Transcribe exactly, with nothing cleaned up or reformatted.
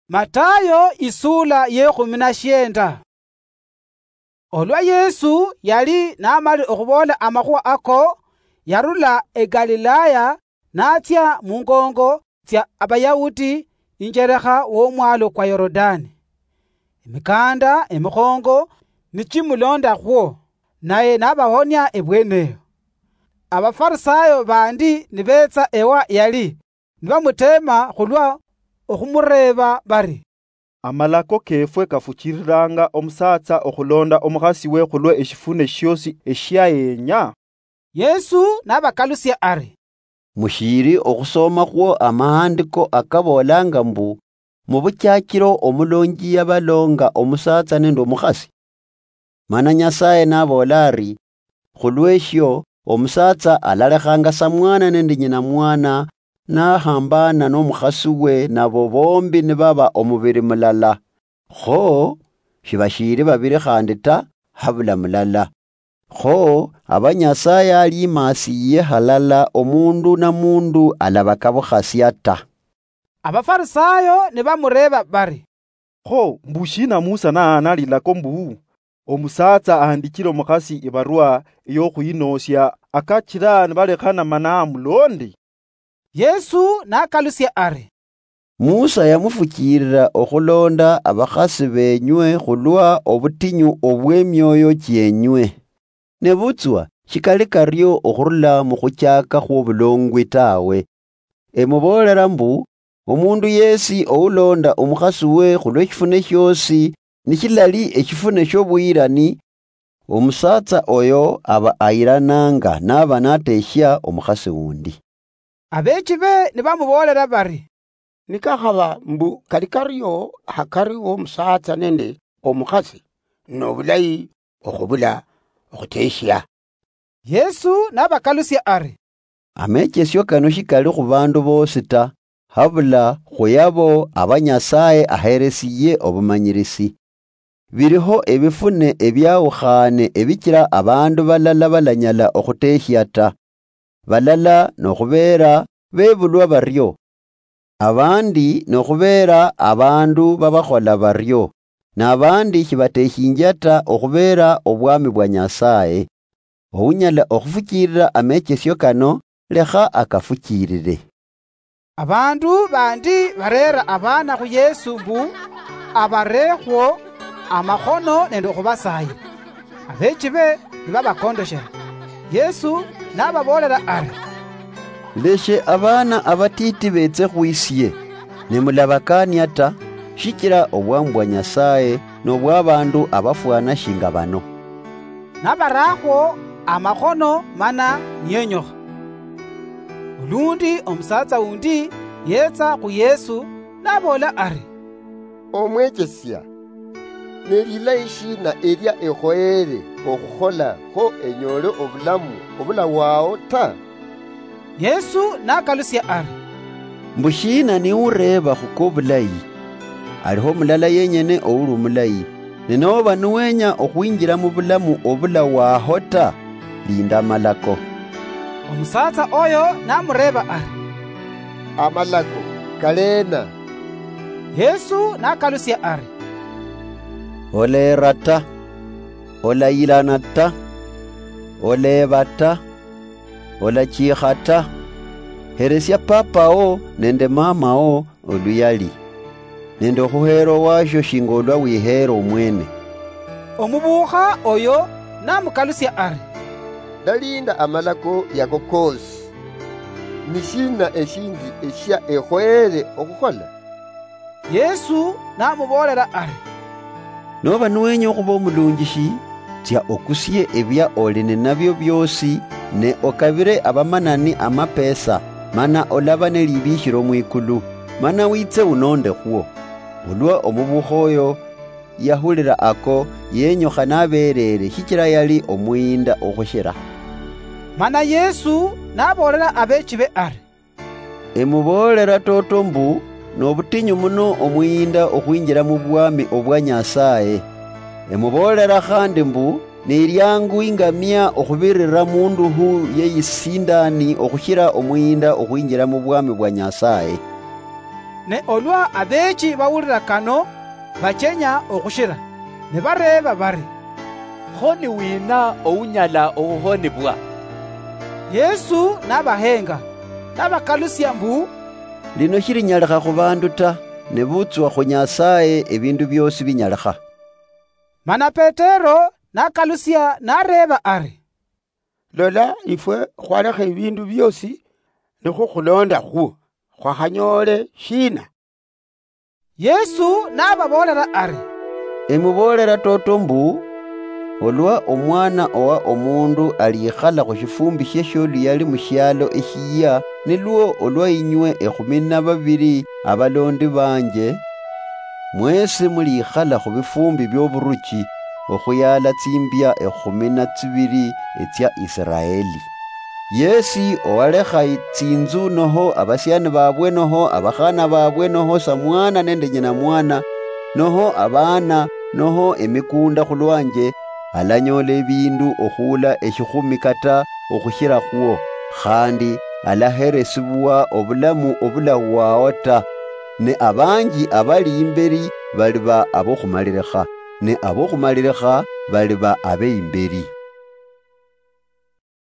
Matayo isula yekhumi na shienda. Olwa Yesu yali namali okhuboola amakhuwa ako, yarula eGalilaya natsia mungongo tsia Abayahudi injerekha womwalo kwa Yorodani. Emikanda emikhongo nichimulondakhwo, naye nabahonia ebweneyo. Abafarisayo bandi nibetsa ewa yali, nibamuteema khulwa okhumureeba bari, "Amalako keefwe kafukiiriranga omusaatsa okhulonda omukhasiwe khulwe eshifune shiosi eshiayenya?" Yesu nabakalusia ari, "Mushiiri okhusoomakhwo amahandiko akaboolanga mbu, 'Mubuchachiro omulonji yabaloonga omusaatsa nende omukhasi'? Mana Nyasaye naboola ari, 'Khulweshio, omusaatsa alalekhanga sa mwana nende nyina mwana, nahambaana nomukhasiwe, nabo boombi nibaba omubiri mulala.' Kho shibashiiri babiri khandi ta, habula mulala. Kho aba Nyasaye aliimasiiye halala, omundu na mundu alabakabukhasia ta." Abafarisayo nibamureeba bari, "Kho mbu shiina Musa nahaana lilako mbu, omusaatsa ahandichire omukhasi ibarwa eyokhuyinoosia akachira nibalekhana mana amuloonde?" Yesu nakalusia ari, "Musa yamufukiirira okhulonda abakhasi beenywe khulwa obutinyu obw'emioyo chienywe. Nebutswa shikali kario okhurula mukhuchaaka khwobulongwi tawe. Emuboolera mbu, omundu yesi oulonda omukhasiwe khulweshifune shiosi, nishilali eshifune shobuyirani, omusaatsa oyo aba ayirananga naba nateshia omukhasi wundi." Abeechibe nibamuboolera bari, "Nikakhaba mbu kali kario hakari womusaatsa nende omukhasi, nobulayi okhubula okhuteshia." Yesu nabakalusia ari, "Amechesio kano shikali khubandu boosi ta, habula khuyabo aba Nyasaye aheresiye obumanyirisi. Biriho ebifune ebiawukhane ebichira abandu balala balanyala okhuteshia ta. Balala nokhubeera bebulwa bario, abandi nokhubeera abandu babakhola bario, nabandi shibateshinjia ta okhubeera obwami bwa Nyasaye. Ounyala okhufukiirira amechesio kano, lekha akafukiirire." Abandu bandi bareera abaana khu Yesu mbu abareekhwo amakhono nende okhubasayira. Abeechibe nibabakondoshera. Yesu nababoolera ari, "Leshe abaana abatiiti beetse khwisie, ne mulabakaania ta, shichira obwami bwa Nyasaye nobwabandu abafwana shinga bano." Nabarakhwo amakhono mana niyenyokha. Olundi omusaatsa wundi yetsa khu Yesu, naboola ari, "Omwechesia, ne lilayi shina elia ekhoyere okhukhola kho enyole obulamu obulawao ta?" Yesu nakalusia ari, "Mbu shiina niureeba khuko bulayi? Aliho mulala yenyene ouli omulayi. Ne noba niwenya okhwinjira mubulamu obulawao ta, linda amalako." Omusaatsa oyo namureeba ari, "Amalako kaleena?" Yesu nakalusia ari, "Oleera ta, olayilana ta, oleeba ta, olachiikha ta, heresia papawo nende mamawo oluyali, nende okhuheera owashio shinga olwa wiheera omwene." Omubuukha oyo namukalusia ari, "Ndalinda amalako yako koosi. Ni shiina eshindi eshia ekhoyere okhukhola?" Yesu namuboolera ari, "Noba niwenya okhuba omulunjishi, tsia okusie ebia oli ninabio biosi, ne okabire abamanani amapesa, mana olaba nelibikhiro mwikulu, mana witse unondekhwo." Olwa omubukha oyo yahulira ako, yenyukha nabeerere, shichira yali omuyinda okhushira. Mana Yesu naboolera abeechibe ari, "Emuboolera toto mbu, nobutinyu muno omuyinda okhwinjira mubwami obwa Nyasaye. Emuboolera khandi mbu, neliangu ingamia okhubirira munduhu yeyisindani okhushira omuyinda okhwinjira mubwami bwa Nyasaye." Ne olwa abeechi bawulira kano, bachenya okhushira, ne bareeba bari, "Kho ni wina ounyala okhuhonibwa?" Yesu nabahenga, nabakalusia mbu, "Lino shilinyalikha khubandu ta, nebutswa khu Nyasaye ebindu biosi binyalikha." Mana Petero nakalusia nareeba ari, "Lola, ifwe khwalekha ebindu biosi nikhukhuloondakhwo, khwakhanyoole shiina?" Yesu nababoolera ari, "Emuboolera toto mbu, olwa Omwana owa Omundu alikhala khushifumbi shie shioluyali mushialo eshiyia, nilwo olwa inywe ekhumi na babiri abalondi banje, mwesi mulikhala khubifumbi bioburuchi, okhuyala tsimbia ekhumi na tsibiri etsia Isiraeli. Yesi owalekha tsinzu noho abasiani babwe noho abakhana babwe noho samwana nende nyina mwana, noho abaana, noho emikunda khulwanje, alanyoola ebiindu okhuula eshikhumi kata okhushirakhwo, khandi alaheresibwa obulamu obulahwao ta. Ne abanji abali imberi baliba abokhumalilikha, ne abokhumalilikha baliba abeimberi."